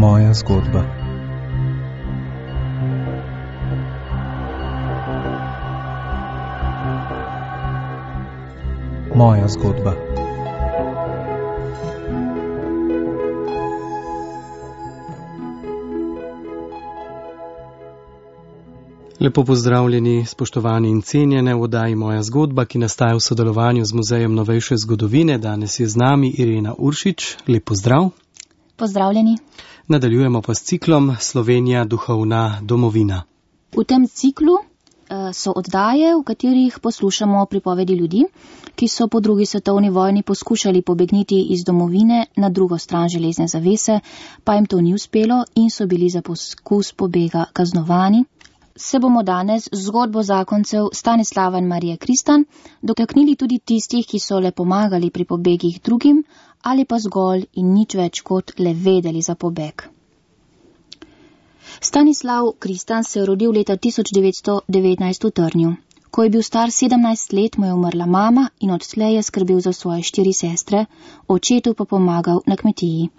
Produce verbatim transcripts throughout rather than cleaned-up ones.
Moja zgodba. Moja zgodba. Lepo pozdravljeni, spoštovani in cenjene v oddaji Moja zgodba, ki nastaja v sodelovanju z Muzejem novejše zgodovine. Danes je z nami Irena Uršič. Lep pozdrav. Pozdravljeni. Nadaljujemo pa s ciklom Slovenija duhovna domovina. V tem ciklu uh, so oddaje, v katerih poslušamo pripovedi ljudi, ki so po drugi svetovni vojni poskušali pobegniti iz domovine na drugo stran železne zavese, pa jim to ni uspelo in so bili za poskus pobega kaznovani. Se bomo danes z zgodbo zakoncev Stanislava in Marije Kristan dotaknili tudi tistih, ki so le pomagali pri pobegih drugim ali pa zgolj in nič več kot le vedeli za pobeg. Stanislav Kristan se je rodil leta tisoč devetsto devetnajst v Trnju. Ko je bil star sedemnajst let, mu je umrla mama in odslej je skrbel za svoje štiri sestre, očetu pa pomagal na kmetiji.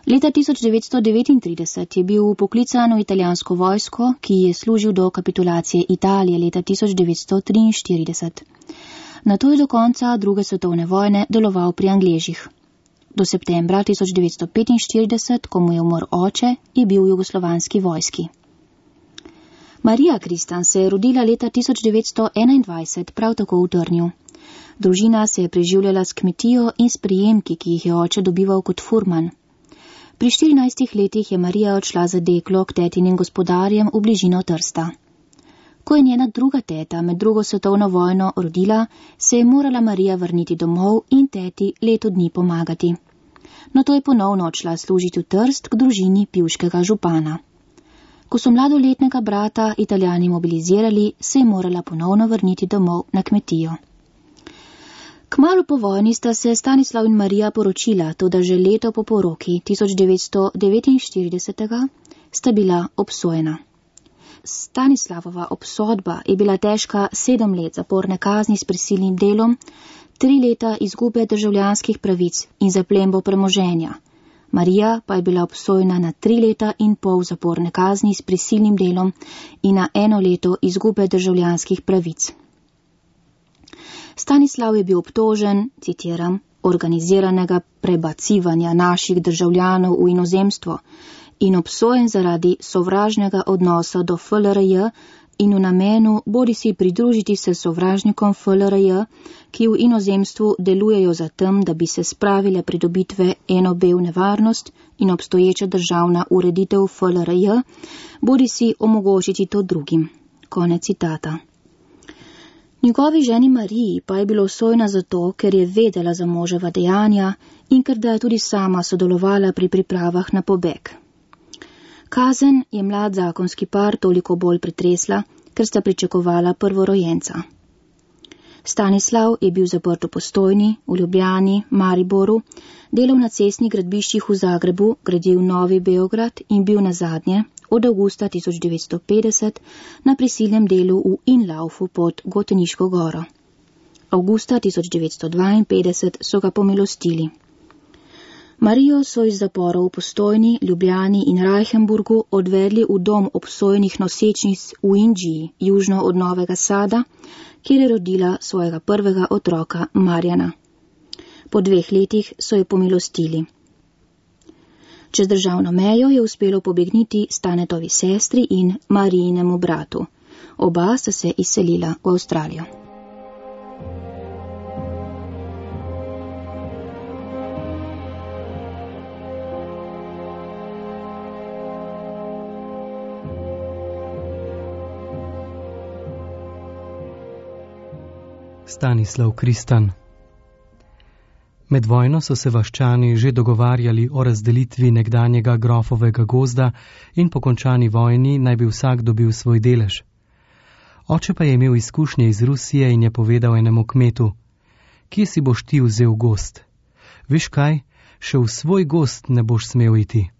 Leta tisoč devetsto devetintrideset je bil poklican v italijansko vojsko, ki je služil do kapitulacije Italije leta tisoč devetsto triinštirideset. Nato je do konca druge svetovne vojne deloval pri Angležih. Do septembra tisoč devetsto petinštirideset, ko mu je umrl oče, je bil v jugoslovanski vojski. Marija Kristan se je rodila leta tisoč devetsto enaindvajset, prav tako v Trnju. Družina se je preživljala s kmetijo in s prijemki, ki jih je oče dobival kot furman. Pri štirinajstih letih je Marija odšla za deklo k tetinim gospodarjem v bližino Trsta. Ko je njena druga teta med drugo svetovno vojno rodila, se je morala Marija vrniti domov in teti leto dni pomagati. No to je ponovno odšla služiti v Trst k družini pivškega župana. Ko so mladoletnega brata Italijani mobilizirali, se je morala ponovno vrniti domov na kmetijo. Kmalu po vojni sta se Stanislav in Marija poročila, toda že leto po poroki tisoč devetsto devetinštirideset sta bila obsojena. Stanislavova obsodba je bila težka sedem let zaporne kazni s prisilnim delom, tri leta izgube državljanskih pravic in zaplembo premoženja. Marija pa je bila obsojena na tri leta in pol zaporne kazni s prisilnim delom in na eno leto izgube državljanskih pravic. Stanislav je bil obtožen, citiram, organiziranega prebacivanja naših državljanov v inozemstvo in obsojen zaradi sovražnega odnosa do F L R J in v namenu bodi si pridružiti se sovražnikom F L R J, ki v inozemstvu delujejo za tem, da bi se spravile pridobitve eno B v nevarnost in obstoječa državna ureditev F L R J, bodi si omogočiti to drugim. Konec citata. Njegovi ženi Mariji pa je bilo obsojena zato, ker je vedela za moževa dejanja in ker da je tudi sama sodelovala pri pripravah na pobeg. Kazen je mlad zakonski par toliko bolj pretresla, ker sta pričakovala prvorojenca. Stanislav je bil zaprt v Postojni, v Ljubljani, Mariboru, delal na cestnih gradbiščih v Zagrebu, gradil Novi Beograd in bil nazadnje od avgusta tisoč devetsto petdeset na prisilnem delu v Inlaufu pod Goteniško goro. Avgusta tisoč devetsto dvainpetdeset so ga pomilostili. Marijo so iz zaporov v Postojni, Ljubljani in Reichenburgu odvedli v dom obsojenih nosečnic v Indiji, južno od Novega Sada, kjer je rodila svojega prvega otroka Marjana. Po dveh letih so jo pomilostili. Čez državno mejo je uspelo pobegniti Stanetovi sestri in Marijinemu bratu. Oba sta se izselila v Avstralijo. Stanislav Kristan. Med vojno so se vaščani že dogovarjali o razdelitvi nekdanjega grofovega gozda in po končani vojni naj bi vsak dobil svoj delež. Oče pa je imel izkušnje iz Rusije in je povedal enemu kmetu: kje si boš ti vzel gozd? Veš kaj, še v svoj gozd ne boš smel iti.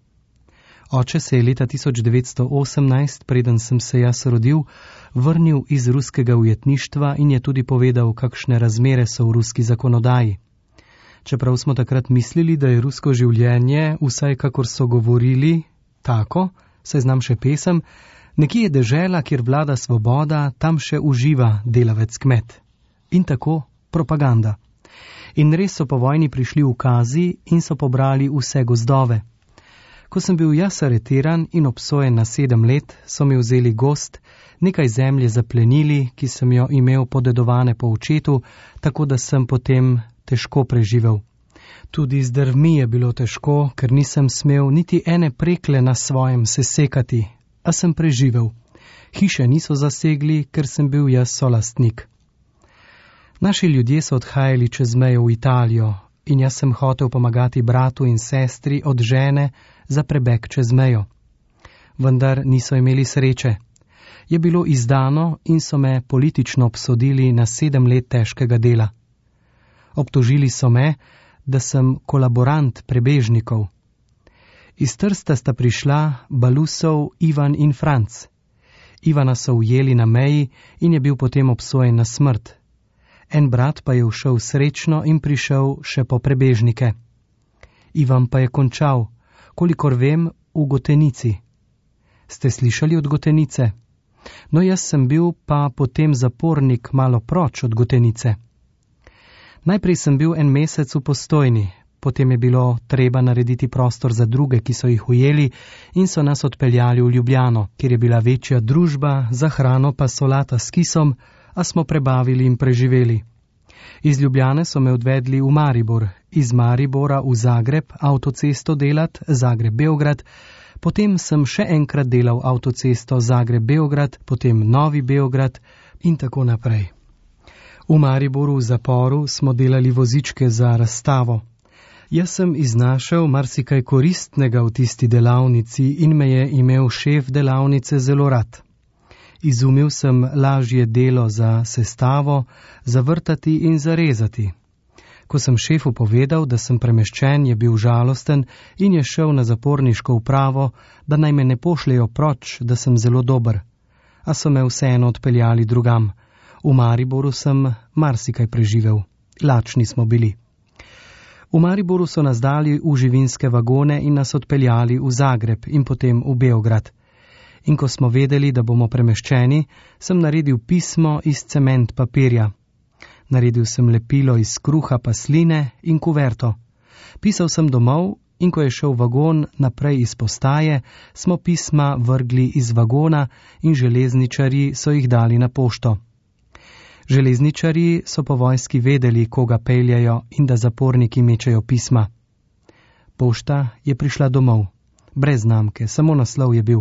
Oče se je leta tisoč devetsto osemnajst, preden sem se jaz rodil, vrnil iz ruskega ujetništva in je tudi povedal, kakšne razmere so v ruski zakonodaji. Čeprav smo takrat mislili, da je rusko življenje, vsaj kakor so govorili, tako, saj znam še pesem, nekje je dežela, kjer vlada svoboda, tam še uživa delavec kmet. In tako propaganda. In res so po vojni prišli ukazi in so pobrali vse gozdove. Ko sem bil jaz aretiran in obsojen na sedem let, so mi vzeli gozd, nekaj zemlje zaplenili, ki sem jo imel podedovane po očetu, tako da sem potem težko preživel. Tudi z drvmi je bilo težko, ker nisem smel niti ene prekle na svojem sesekati, a sem preživel. Hiše niso zasegli, ker sem bil jaz solastnik. Naši ljudje so odhajali čez mejo v Italijo in jaz sem hotel pomagati bratu in sestri od žene za prebeg čez mejo. Vendar niso imeli sreče. Je bilo izdano in so me politično obsodili na sedem let težkega dela. Obtožili so me, da sem kolaborant prebežnikov. Iz Trsta sta prišla Balusov Ivan in Franc. Ivana so ujeli na meji in je bil potem obsojen na smrt. En brat pa je všel srečno in prišel še po prebežnike. Ivan pa je končal, kolikor vem, v Gotenici. Ste slišali od Gotenice? No, jaz sem bil pa potem zapornik malo proč od Gotenice. Najprej sem bil en mesec v Postojni, potem je bilo treba narediti prostor za druge, ki so jih ujeli in so nas odpeljali v Ljubljano, kjer je bila večja družba, za hrano pa solata s kisom, a smo prebavili in preživeli. Iz Ljubljane so me odvedli v Maribor, iz Maribora v Zagreb avtocesto delat, Zagreb-Beograd, potem sem še enkrat delal avtocesto Zagreb-Beograd, potem Novi Beograd in tako naprej. V Mariboru v zaporu smo delali vozičke za razstavo. Jaz sem iznašel marsikaj koristnega v tisti delavnici in me je imel šef delavnice zelo rad. Izumil sem lažje delo za sestavo, zavrtati in zarezati. Ko sem šefu povedal, da sem premeščen, je bil žalosten in je šel na zaporniško upravo, da naj me ne pošljejo proč, da sem zelo dober. A so me vseeno odpeljali drugam. V Mariboru sem marsikaj preživel. Lačni smo bili. V Mariboru so nas dali v živinske vagone in nas odpeljali v Zagreb in potem v Beograd. In ko smo vedeli, da bomo premeščeni, sem naredil pismo iz cement papirja. Naredil sem lepilo iz kruha pa sline in kuverto. Pisal sem domov in ko je šel vagon naprej iz postaje, smo pisma vrgli iz vagona in železničarji so jih dali na pošto. Železničarji so po vojski vedeli, koga peljajo in da zaporniki mečejo pisma. Pošta je prišla domov. Brez znamke, samo naslov je bil.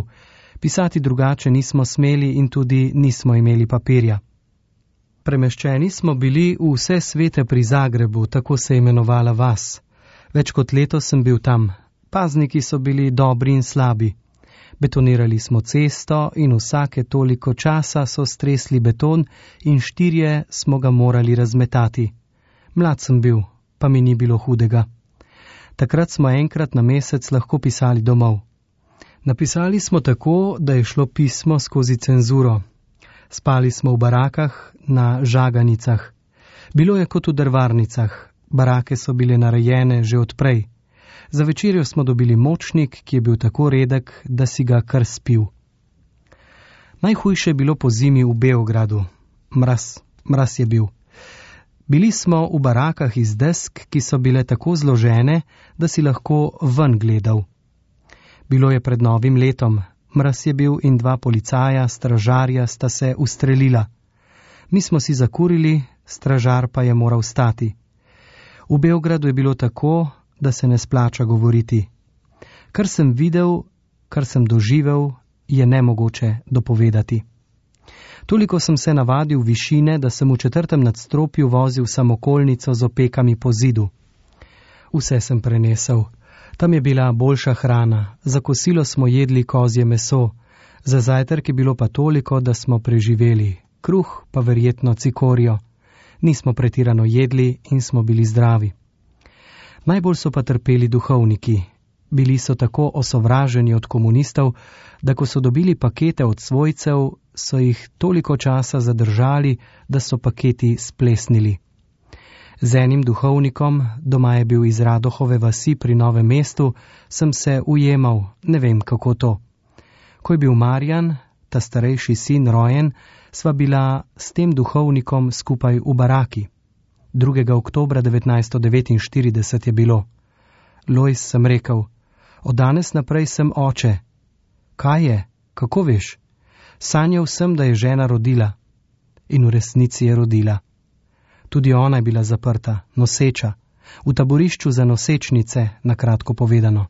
Pisati drugače nismo smeli in tudi nismo imeli papirja. Premeščeni smo bili v vse svete pri Zagrebu, tako se je imenovala vas. Več kot leto sem bil tam. Pazniki so bili dobri in slabi. Betonirali smo cesto in vsake toliko časa so stresli beton in štirje smo ga morali razmetati. Mlad sem bil, pa mi ni bilo hudega. Takrat smo enkrat na mesec lahko pisali domov. Napisali smo tako, da je šlo pismo skozi cenzuro. Spali smo v barakah na žaganicah. Bilo je kot v drvarnicah. Barake so bile narejene že odprej. Za večerjo smo dobili močnik, ki je bil tako redek, da si ga kar spil. Najhujše je bilo po zimi v Beogradu. Mraz, mraz je bil. Bili smo v barakah iz desk, ki so bile tako zložene, da si lahko ven gledal. Bilo je pred novim letom. Mraz je bil in dva policaja, stražarja sta se ustrelila. Mi smo si zakurili, stražar pa je moral stati. V Beogradu je bilo tako, da se ne splača govoriti. Kar sem videl, kar sem doživel, je nemogoče dopovedati. Toliko sem se navadil višine, da sem v četrtem nadstropju vozil samokolnico z opekami po zidu. Vse sem prenesel. Tam je bila boljša hrana, za kosilo smo jedli kozje meso, za zajtrk je bilo pa toliko, da smo preživeli, kruh pa verjetno cikorijo. Nismo pretirano jedli in smo bili zdravi. Najbolj so pa trpeli duhovniki. Bili so tako osovraženi od komunistov, da ko so dobili pakete od svojcev, so jih toliko časa zadržali, da so paketi splesnili. Z enim duhovnikom, doma je bil iz Radohove vasi pri Novem mestu, sem se ujemal, ne vem kako to. Ko je bil Marjan, ta starejši sin, rojen, sva bila s tem duhovnikom skupaj v baraki. drugega oktobra devetnajststo devetinštirideset je bilo. Lojz, sem rekel, od danes naprej sem oče. Kaj je? Kako veš? Sanjal sem, da je žena rodila. In v resnici je rodila. Tudi ona je bila zaprta, noseča, v taborišču za nosečnice, na kratko povedano.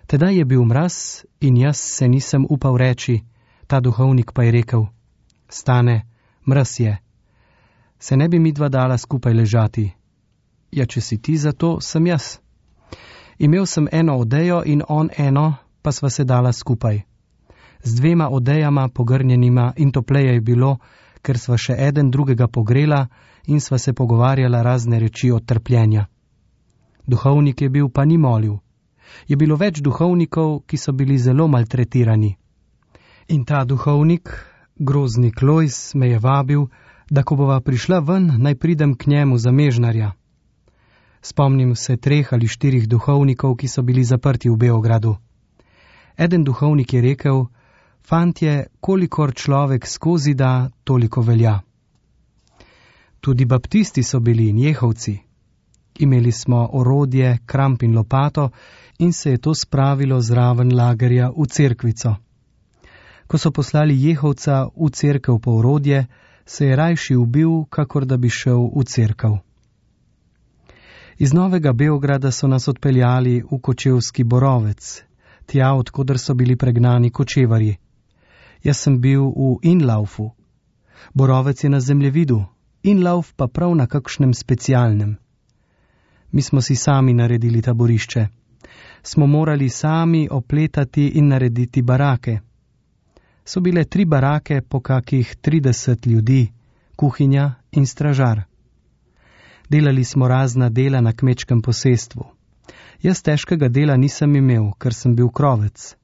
Tedaj je bil mraz in jaz se nisem upal reči, ta duhovnik pa je rekel, Stane, mraz je. Se ne bi midva dala skupaj ležati? Ja, če si ti za to, sem jaz. Imel sem eno odejo in on eno, pa sva se dala skupaj. Z dvema odejama pogrnjenima in topleje je bilo, ker sva še eden drugega pogrela in sva se pogovarjala razne reči od trpljenja. Duhovnik je bil, pa ni molil. Je bilo več duhovnikov, ki so bili zelo maltretirani. In ta duhovnik, groznik Lojz, me je vabil, da ko bova prišla ven, naj pridem k njemu za mežnarja. Spomnim se treh ali štirih duhovnikov, ki so bili zaprti v Beogradu. Eden duhovnik je rekel, fantje, kolikor človek skozi da, toliko velja. Tudi baptisti so bili in jehovci. Imeli smo orodje, kramp in lopato in se je to spravilo zraven lagerja v cerkvico. Ko so poslali jehovca v cerkev po orodje, se je rajši ubil, kakor da bi šel v cerkev. Iz Novega Beograda so nas odpeljali v kočevski Borovec, tja, odkoder so bili pregnani kočevarji. Jaz sem bil v Inlaufu. Borovec je na zemljevidu, Inlauf pa prav na kakšnem specialnem. Mi smo si sami naredili taborišče. Smo morali sami opletati in narediti barake. So bile tri barake po kakih trideset ljudi, kuhinja in stražar. Delali smo razna dela na kmečkem posestvu. Jaz težkega dela nisem imel, ker sem bil krovec.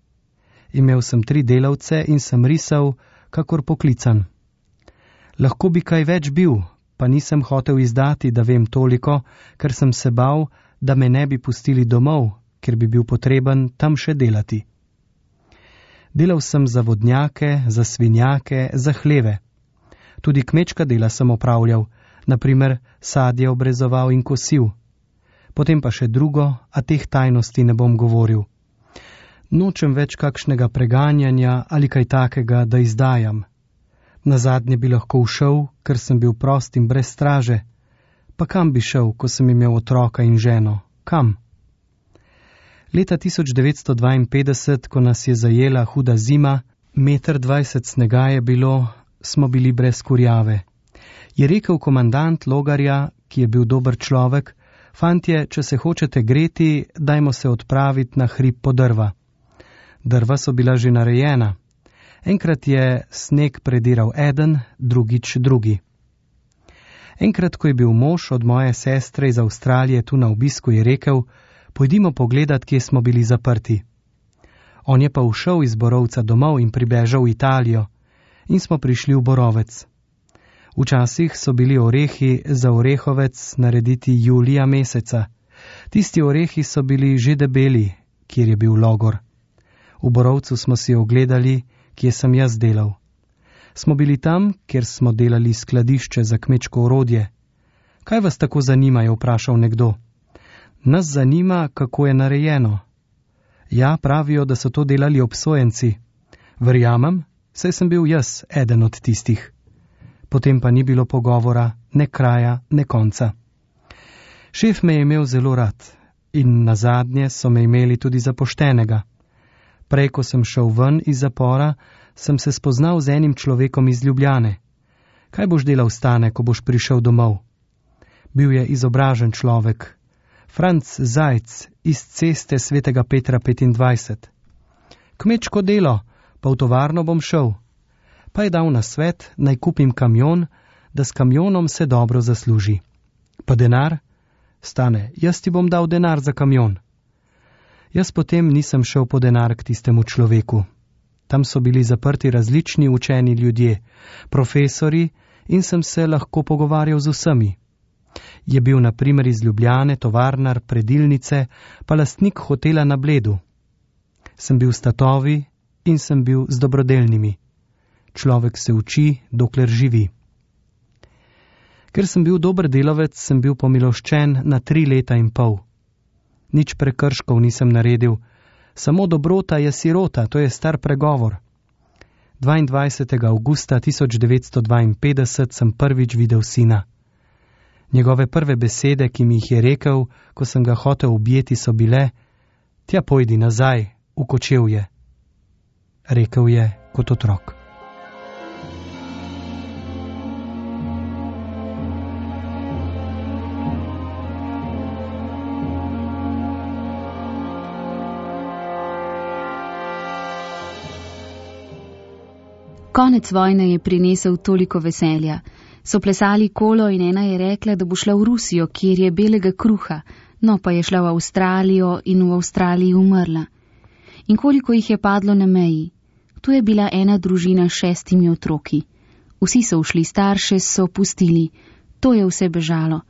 Imel sem tri delavce in sem risal, kakor poklican. Lahko bi kaj več bil, pa nisem hotel izdati, da vem toliko, ker sem se bal, da me ne bi pustili domov, ker bi bil potreben tam še delati. Delal sem za vodnjake, za svinjake, za hleve. Tudi kmečka dela sem opravljal, naprimer sadje obrezoval in kosil. Potem pa še drugo, a teh tajnosti ne bom govoril. Nočem več kakšnega preganjanja ali kaj takega, da izdajam. Nazadnje bi lahko všel, ker sem bil prost in brez straže. Pa kam bi šel, ko sem imel otroka in ženo? Kam? Leta tisoč devetsto dvainpetdeset, ko nas je zajela huda zima, meter dvajset snega je bilo, smo bili brez kurjave. Je rekel komandant Logarja, ki je bil dober človek, fantje, če se hočete greti, dajmo se odpraviti na hrib po drva. Drva so bila že narejena. Enkrat je sneg prediral eden, drugič drugi. Enkrat, ko je bil mož od moje sestre iz Avstralije tu na obisku, je rekel, pojdimo pogledat, kje smo bili zaprti. On je pa ušel iz Borovca domov in pribežal v Italijo in smo prišli v Borovec. Včasih so bili orehi za orehovec narediti julija meseca. Tisti orehi so bili že debeli, kjer je bil logor. V Borovcu smo si ogledali, kje sem jaz delal. Smo bili tam, kjer smo delali skladišče za kmečko orodje. Kaj vas tako zanima, je vprašal nekdo. Nas zanima, kako je narejeno. Ja, pravijo, da so to delali obsojenci. Verjamem, saj sem bil jaz eden od tistih. Potem pa ni bilo pogovora, ne kraja, ne konca. Šef me je imel zelo rad in nazadnje so me imeli tudi za poštenega. Prej, ko sem šel ven iz zapora, sem se spoznal z enim človekom iz Ljubljane. Kaj boš delal, Stane, ko boš prišel domov? Bil je izobražen človek. Franc Zajc iz ceste Svetega Petra petindvajset. Kmečko delo, pa v tovarno bom šel. Pa je dal na svet, naj kupim kamion, da s kamionom se dobro zasluži. Pa denar? Stane, jaz ti bom dal denar za kamion. Jaz potem nisem šel po denar k tistemu človeku. Tam so bili zaprti različni učeni ljudje, profesori, in sem se lahko pogovarjal z vsemi. Je bil na primer iz Ljubljane, tovarnar, predilnice, pa lastnik hotela na Bledu. Sem bil s tatovi in sem bil z dobrodelnimi. Človek se uči, dokler živi. Ker sem bil dober delavec, sem bil pomiloščen na tri leta in pol. Nič prekrškov nisem naredil, samo dobrota je sirota, to je star pregovor. dvaindvajsetega avgusta tisoč devetsto dvainpetdeset sem prvič videl sina. Njegove prve besede, ki mi jih je rekel, ko sem ga hotel objeti, so bile: "Tja pojdi nazaj, v Kočevje." Rekel je kot otrok. Konec vojne je prinesel toliko veselja. So plesali kolo in ena je rekla, da bo šla v Rusijo, kjer je belega kruha, no pa je šla v Avstralijo in v Avstraliji umrla. In koliko jih je padlo na meji? Tu je bila ena družina s šestimi otroki. Vsi so ušli, starše so pustili. To je vse bežalo.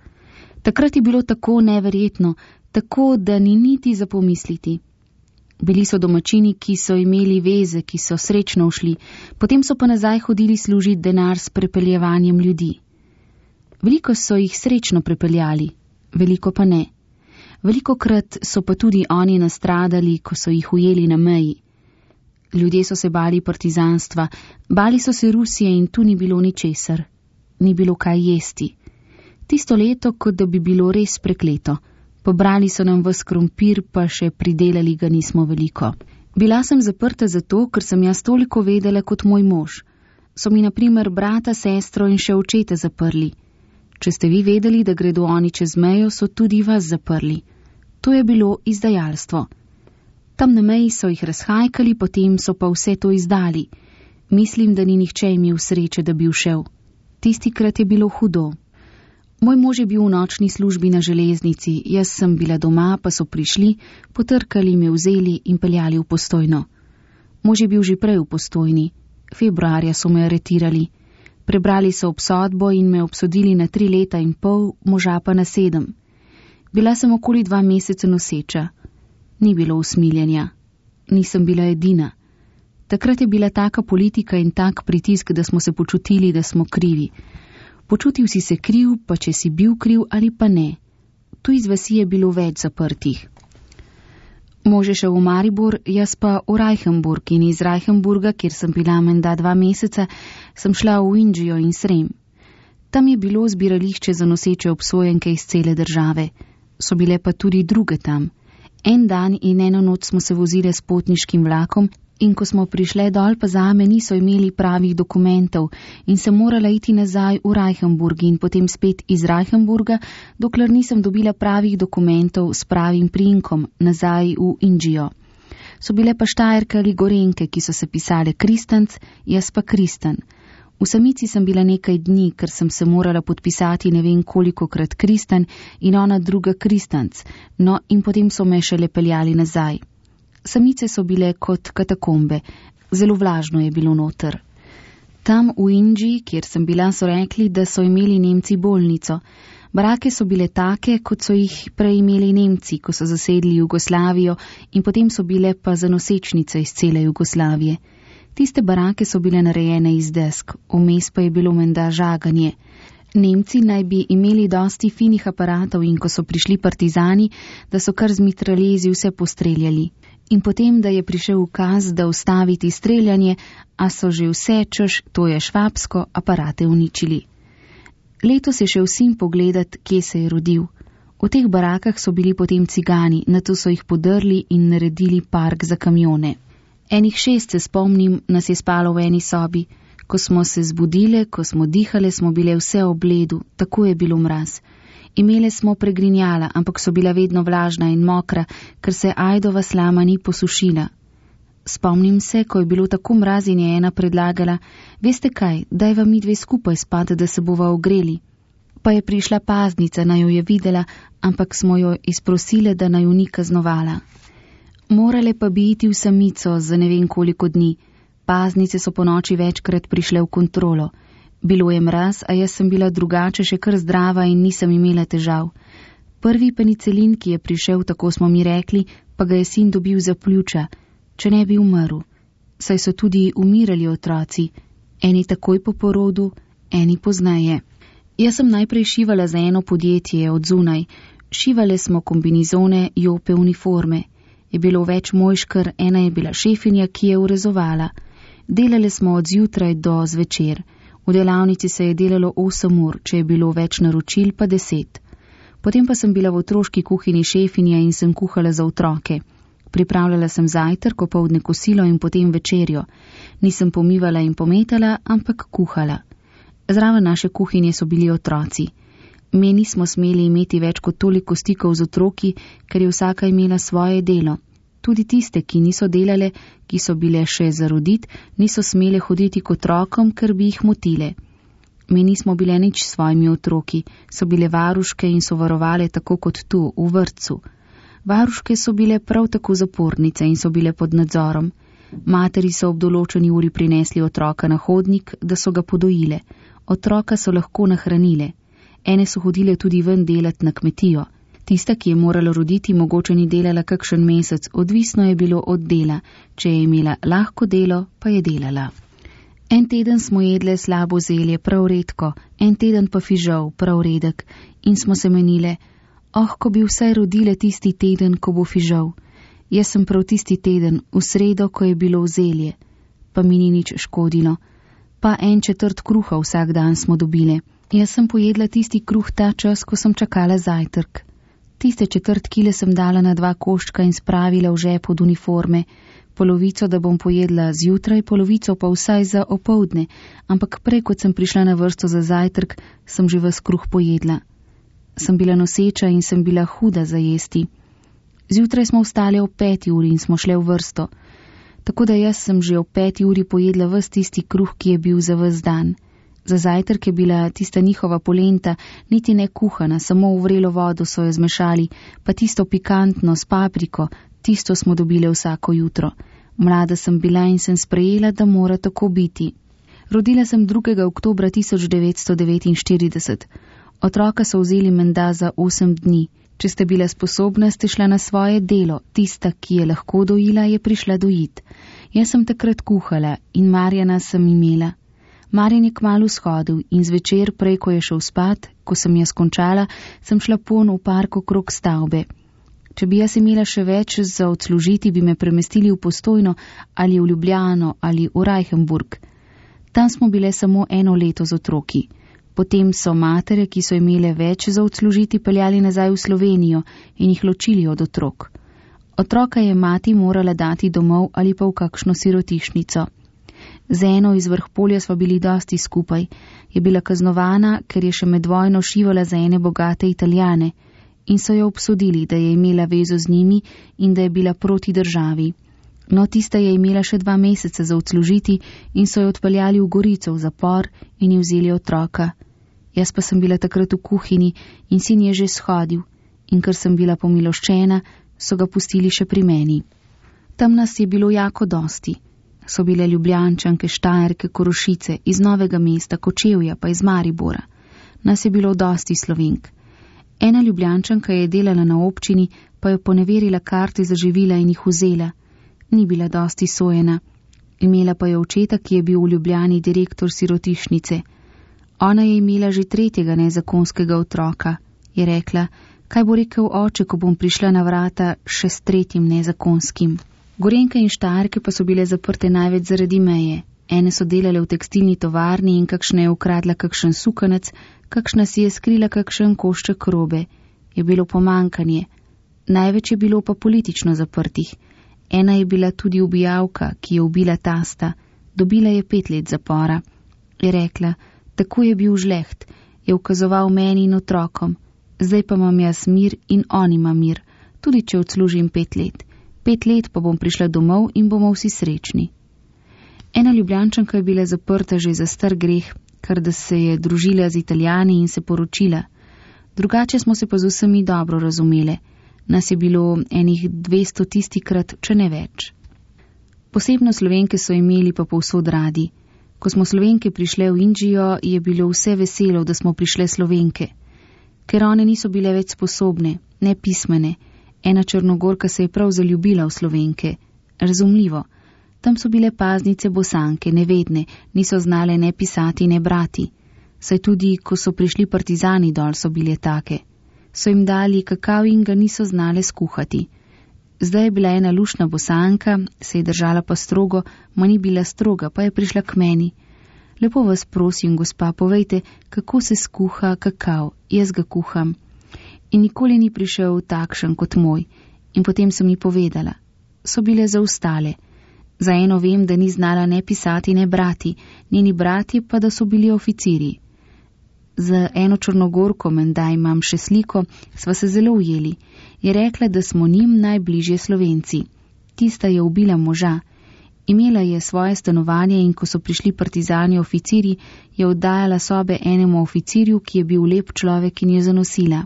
Takrat je bilo tako neverjetno, tako da ni niti za pomisliti. Bili so domačini, ki so imeli veze, ki so srečno ušli, potem so pa nazaj hodili služiti denar s prepeljevanjem ljudi. Veliko so jih srečno prepeljali, veliko pa ne. Velikokrat so pa tudi oni nastradali, ko so jih ujeli na meji. Ljudje so se bali partizanstva, bali so se Rusije in tu ni bilo ničesar. Ni bilo kaj jesti. Tisto leto, kot da bi bilo res prekleto. Pobrali so nam ves krompir, pa še pridelali ga nismo veliko. Bila sem zaprta zato, ker sem jaz toliko vedela kot moj mož. So mi na primer brata, sestro in še očete zaprli. Če ste vi vedeli, da gredo oni čez mejo, so tudi vas zaprli. To je bilo izdajalstvo. Tam na meji so jih razhajkali, potem so pa vse to izdali. Mislim, da ni nihče imel sreče, da bi všel. Tistikrat je bilo hudo. Moj mož je bil v nočni službi na železnici, jaz sem bila doma, pa so prišli, potrkali, me vzeli in peljali v Postojno. Mož je bil že prej v Postojni. Februarja so me aretirali. Prebrali so obsodbo in me obsodili na tri leta in pol, moža pa na sedem. Bila sem okoli dva meseca noseča. Ni bilo usmiljenja. Nisem bila edina. Takrat je bila taka politika in tak pritisk, da smo se počutili, da smo krivi. Počutil si se kriv, pa če si bil kriv ali pa ne. Tu iz vasi je bilo več zaprtih. Mož je šel v Maribor, jaz pa v Reichenburg in iz Reichenburga, kjer sem bila menda dva meseca, sem šla v Indžijo in Srem. Tam je bilo zbirališče za noseče obsojenke iz cele države. So bile pa tudi druge tam. En dan in eno noč smo se vozile s potniškim vlakom in ko smo prišle dol, pa zame niso imeli pravih dokumentov in sem morala iti nazaj v Reichenburg in potem spet iz Reichenburga, dokler nisem dobila pravih dokumentov s pravim priimkom nazaj v Indžijo. So bile pa Štajerke ali Gorenke, ki so se pisale Kristanc, jaz pa Kristan. V samici sem bila nekaj dni, ker sem se morala podpisati ne vem kolikokrat Kristan in ona druga Kristanc, no in potem so me šele peljali nazaj. Samice so bile kot katakombe, zelo vlažno je bilo noter. Tam v Indiji, kjer sem bila, so rekli, da so imeli Nemci bolnico. Barake so bile take, kot so jih prej imeli Nemci, ko so zasedli Jugoslavijo in potem so bile pa za nosečnice iz cele Jugoslavije. Tiste barake so bile narejene iz desk, vmes pa je bilo menda žaganje. Nemci naj bi imeli dosti finih aparatov in ko so prišli partizani, da so kar z mitraljezi vse postreljali. In potem, da je prišel ukaz, da ustaviti streljanje, a so že vse, češ, to je švabsko, aparate uničili. Letos je šel sin pogledat, kje se je rodil. V teh barakah so bili potem cigani, nato so jih podrli in naredili park za kamione. Enih šest, se spomnim, nas je spalo v eni sobi. Ko smo se zbudile, ko smo dihale, smo bile vse ob ledu, tako je bilo mraz. Imele smo pregrinjala, ampak so bila vedno vlažna in mokra, ker se ajdova slama ni posušila. Spomnim se, ko je bilo tako mraz in je ena predlagala, veste kaj, daj vam mi dve skupaj spati, da se bova ogreli. Pa je prišla paznica, naj jo je videla, ampak smo jo izprosile, da naj jo ni kaznovala. Morale pa bi iti v samico za ne vem koliko dni. Paznice so po noči večkrat prišle v kontrolo. Bilo je mraz, a jaz sem bila drugače še kar zdrava in nisem imela težav. Prvi penicilin, ki je prišel, tako smo mi rekli, pa ga je sin dobil za pljuča, če ne bi umrl. Saj so tudi umirali otroci, eni takoj po porodu, eni poznaje. Jaz sem najprej šivala za eno podjetje od zunaj. Šivale smo kombinizone, jope, uniforme. Je bilo več mojškar, ena je bila šefinja, ki je urezovala. Delali smo od zjutraj do zvečer. V delavnici se je delalo osem ur, če je bilo več naročil, pa deset. Potem pa sem bila v otroški kuhinji šefinja in sem kuhala za otroke. Pripravljala sem zajtrk, opoldne kosilo in potem večerjo. Nisem pomivala in pometala, ampak kuhala. Zraven naše kuhinje so bili otroci. Mi nismo smeli imeti več kot toliko stikov z otroki, ker je vsaka imela svoje delo. Tudi tiste, ki niso delale, ki so bile še za rodit, niso smele hoditi k otrokom, ker bi jih motile. Mi nismo bile nič s svojimi otroki, so bile varuške in so varovale tako kot tu, v vrtcu. Varuške so bile prav tako zapornice in so bile pod nadzorom. Materi so ob določeni uri prinesli otroka na hodnik, da so ga podojile. Otroka so lahko nahranile. Ene so hodile tudi ven delat na kmetijo. Tista, ki je morala roditi, mogoče ni delala kakšen mesec, odvisno je bilo od dela. Če je imela lahko delo, pa je delala. En teden smo jedle slabo zelje, prav redko, en teden pa fižol, prav redek, in smo se menile, oh, ko bi vsaj rodile tisti teden, ko bo fižol. Jaz sem prav tisti teden, v sredo, ko je bilo zelje, pa mi ni nič škodilo. Pa en četrt kruha vsak dan smo dobile. Jaz sem pojedla tisti kruh ta čas, ko sem čakala zajtrk. Tiste četrt kile sem dala na dva koščka in spravila v žep od uniforme. Polovico, da bom pojedla zjutraj, polovico pa vsaj za opoldne, ampak prej, kot sem prišla na vrsto za zajtrk, sem že ves kruh pojedla. Sem bila noseča in sem bila huda za jesti. Zjutraj smo vstali ob peti uri in smo šle v vrsto. Tako da jaz sem že ob peti uri pojedla ves tisti kruh, ki je bil za ves dan. Za zajtrk je bila tista njihova polenta, niti ne kuhana, samo v vrelo vodo so jo zmešali, pa tisto pikantno s papriko, tisto smo dobile vsako jutro. Mlada sem bila in sem sprejela, da mora tako biti. Rodila sem drugega oktobra tisoč devetsto devetinštirideset. Otroka so vzeli menda za osem dni. Če ste bila sposobna, ste šla na svoje delo. Tista, ki je lahko dojila, je prišla dojit. Jaz sem takrat kuhala in Marjana sem imela. Marjan je kmalu shodil in zvečer, prej ko je šel spat, ko sem jaz končala, sem šla pon v park okrog stavbe. Če bi jaz imela še več za odslužiti, bi me premestili v Postojno ali v Ljubljano ali v Reichenburg. Tam smo bile samo eno leto z otroki. Potem so matere, ki so imele več za odslužiti, peljali nazaj v Slovenijo in jih ločili od otrok. Otroka je mati morala dati domov ali pa v kakšno sirotišnico. Z eno iz Vrhpolja sva bili dosti skupaj. Je bila kaznovana, ker je še med vojno šivala za ene bogate Italijane in so jo obsodili, da je imela vezo z njimi in da je bila proti državi. No, tista je imela še dva meseca za odslužiti in so jo odpeljali v Gorico v zapor in ji vzeli otroka. Jaz pa sem bila takrat v kuhinji in sin je že shodil in ker sem bila pomiloščena, so ga pustili še pri meni. Tam nas je bilo jako dosti. So bile Ljubljančanke, Štajerke, Korošice, iz Novega mesta, Kočevja, pa iz Maribora. Nas je bilo dosti Slovenk. Ena Ljubljančanka je delala na občini, pa je poneverila karte za živila in jih vzela. Ni bila dosti sojena. Imela pa je očeta, ki je bil v Ljubljani direktor sirotišnice. Ona je imela že tretjega nezakonskega otroka. Je rekla, kaj bo rekel oče, ko bom prišla na vrata še s tretjim nezakonskim. Gorenke in Štajerke pa so bile zaprte največ zaradi meje. Ene so delale v tekstilni tovarni in kakšna je ukradla kakšen sukanec, kakšna si je skrila kakšen košček robe. Je bilo pomankanje. Največ je bilo pa politično zaprtih. Ena je bila tudi ubijalka, ki je ubila tasta. Dobila je pet let zapora. Je rekla, tako je bil žleht, je ukazoval meni in otrokom. Zdaj pa imam jaz mir in on ima mir, tudi če odslužim pet let. Pet let pa bom prišla domov in bomo vsi srečni. Ena Ljubljančanka je bila zaprta že za star greh, ker da se je družila z Italijani in se poročila. Drugače smo se pa z vsemi dobro razumele. Nas je bilo enih dvesto tistikrat, če ne več. Posebno Slovenke so imeli pa povsod radi. Ko smo Slovenke prišle v Indžijo, je bilo vse veselo, da smo prišle Slovenke. Ker one niso bile več sposobne, ne pismene. Ena Črnogorka se je prav zaljubila v Slovenke. Razumljivo. Tam so bile paznice Bosanke, nevedne, niso znale ne pisati, ne brati. Saj tudi, ko so prišli partizani dol, so bile take. So jim dali kakav in ga niso znale skuhati. Zdaj je bila ena lušna Bosanka, se je držala pa strogo, ma ni bila stroga, pa je prišla k meni. Lepo vas prosim, gospa, povejte, kako se skuha kakav, jaz ga kuham. In nikoli ni prišel takšen kot moj. In potem so mi povedala. So bile zaostale. Za eno vem, da ni znala ne pisati, ne brati, njeni brati pa, da so bili oficiri. Z eno Črnogorko, menda imam še sliko, sva se zelo ujeli. Je rekla, da smo njim najbližje Slovenci. Tista je ubila moža. Imela je svoje stanovanje in ko so prišli partizani oficiri, je oddajala sobe enemu oficirju, ki je bil lep človek in je zanosila.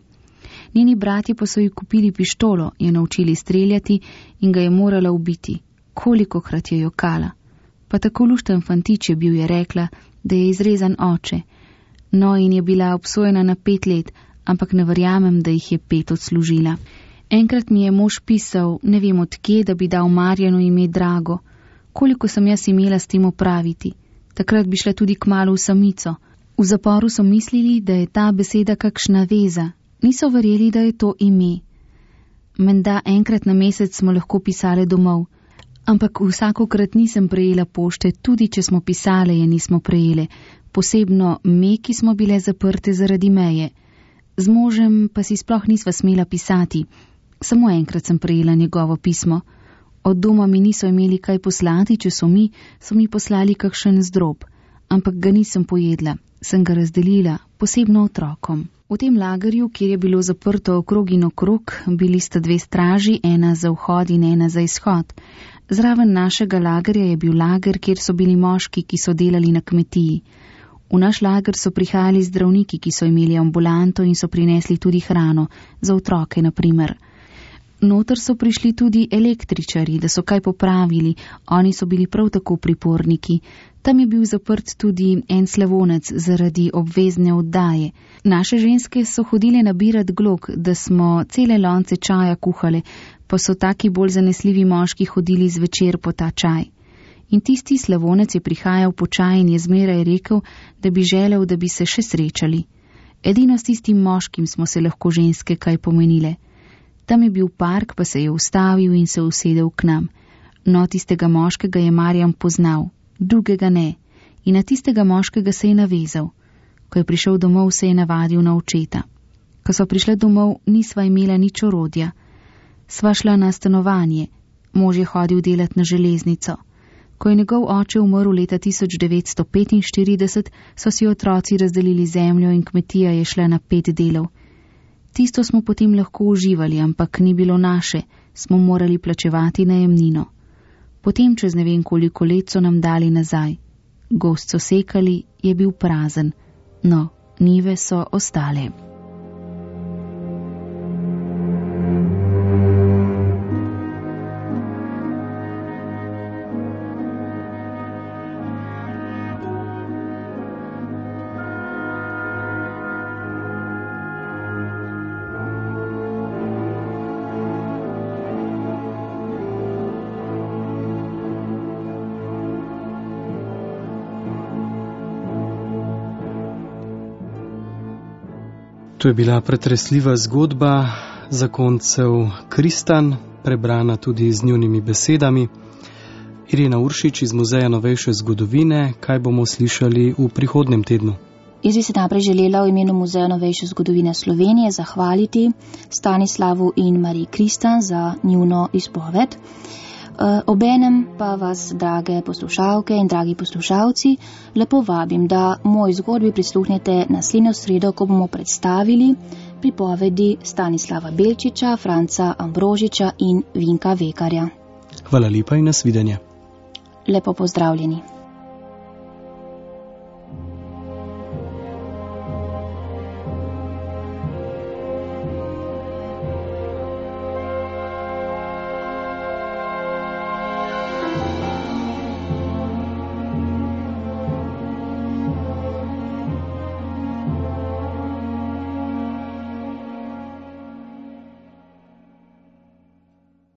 Njeni bratje pa so ji kupili pištolo, je naučili streljati in ga je morala ubiti. Kolikokrat je jokala. Pa tako lušten fantič je bil, je rekla, da je izrezan oče. No, in je bila obsojena na pet let, ampak ne verjamem, da jih je pet odslužila. Enkrat mi je mož pisal, ne vem odkje, da bi dal Marjanu ime Drago. Koliko sem jaz imela s tem opraviti? Takrat bi šla tudi kmalu v samico. V zaporu so mislili, da je ta beseda kakšna veza. Niso verjeli, da je to ime. Menda enkrat na mesec smo lahko pisale domov. Ampak vsakokrat nisem prejela pošte, tudi če smo pisale, je nismo prejele. Posebno me, ki smo bile zaprte zaradi meje. Z možem pa si sploh nisva smela pisati. Samo enkrat sem prejela njegovo pismo. Od doma mi niso imeli kaj poslati, če so mi, so mi poslali kakšen zdrob. Ampak ga nisem pojedla, sem ga razdelila, posebno otrokom. V tem lagerju, kjer je bilo zaprto okrog in okrog, bili sta dve straži, ena za vhod in ena za izhod. Zraven našega lagerja je bil lager, kjer so bili moški, ki so delali na kmetiji. V naš lager so prihajali zdravniki, ki so imeli ambulanto in so prinesli tudi hrano, za otroke na primer. Noter so prišli tudi električari, da so kaj popravili, oni so bili prav tako priporniki. Tam je bil zaprt tudi en slavonec zaradi obvezne oddaje. Naše ženske so hodile nabirat glog, da smo cele lonce čaja kuhale, pa so taki bolj zanesljivi moški hodili zvečer po ta čaj. In tisti slavonec je prihajal po čaj in je zmeraj rekel, da bi želel, da bi se še srečali. Edino s tistim moškim smo se lahko ženske kaj pomenile. Tam je bil park, pa se je ustavil in se usedel k nam. No, tistega moškega je Marjan poznal, drugega ne. In na tistega moškega se je navezal. Ko je prišel domov, se je navadil na očeta. Ko so prišle domov, nisva imela nič orodja. Sva šla na stanovanje. Mož je hodil delat na železnico. Ko je njegov oče umrl leta tisoč devetsto petinštirideset, so si otroci razdelili zemljo in kmetija je šla na pet delov. Tisto smo potem lahko uživali, ampak ni bilo naše, smo morali plačevati najemnino. Potem čez ne vem koliko let so nam dali nazaj. Gozd so sekali, je bil prazen. No, njive so ostale. To je bila pretresljiva zgodba zakoncev Kristan, prebrana tudi z njunimi besedami. Irena Uršič iz Muzeja novejše zgodovine, kaj bomo slišali v prihodnem tednu? Jaz bi se naprej želela v imenu Muzeja novejše zgodovine Slovenije zahvaliti Stanislavu in Mariji Kristan za njuno izpoved. Obenem pa vas, drage poslušalke in dragi poslušalci, lepo vabim, da moj zgodbi prisluhnete naslednjo sredo, ko bomo predstavili pripovedi Stanislava Belčiča, Franca Ambrožiča in Vinka Vekarja. Hvala lepa in nasvidenje. Lepo pozdravljeni.